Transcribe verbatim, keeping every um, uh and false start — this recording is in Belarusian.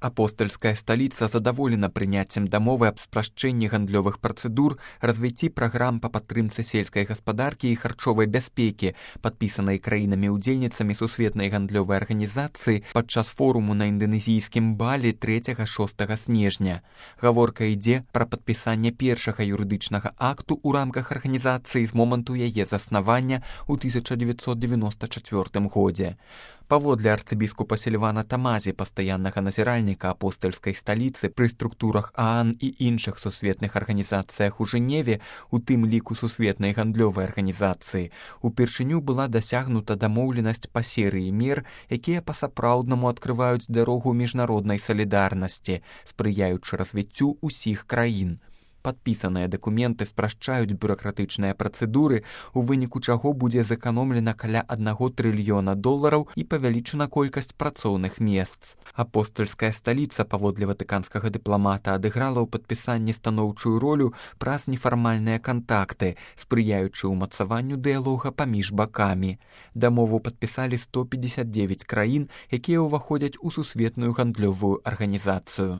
Апостольская столица задаволена прыняццем дамовы аб спрашчэнні гандлёвых працэдур, развіцці праграм па падтрымцы сельскай гаспадаркі і харчовай бяспекі, падпісанай краінамі-удзельніцамі сусветнай гандлёвай арганізацыі падчас форуму на інданезійскім Балі трэцяга-шостага снежня. Гаворка ідзе пра падпісанне першага юрыдычнага акту ў рамках арганізацыі з моманту яе заснавання ў тысяча дзевяцьсот дзевяноста чацвёртым годзе. Паводле арцыбіскупа Сільвана Тамазі, пастаяннага назіральніка апостальскай сталіцы пры структурах ААН і іншых сусветных арганізацыях у Жэневе, у тым ліку сусветнай гандлёвай арганізацыі, упершыню была дасягнута дамоўленасць па серыі мер, якія па-сапраўднаму адкрываюць дарогу міжнароднай салідарнасці, спрыяючы развіццю ўсіх краін. Падпісаныя дакументы спрашчаюць бюракратычныя працэдуры, у выніку чаго будзе зэканомлена каля аднаго трыльёна долараў і павялічана колькасць працоўных месц. Апостальская сталіца, паводле ватыканскага дыпламата, адыграла ў падпісанні станоўчую ролю праз нефармальныя кантакты, спрыяючы ўмацаванню дыялога паміж бакамі. Дамову падпісалі сто пятьдесят девять краін, якія ўваходзяць у сусветную гандлёвую арганізацыю.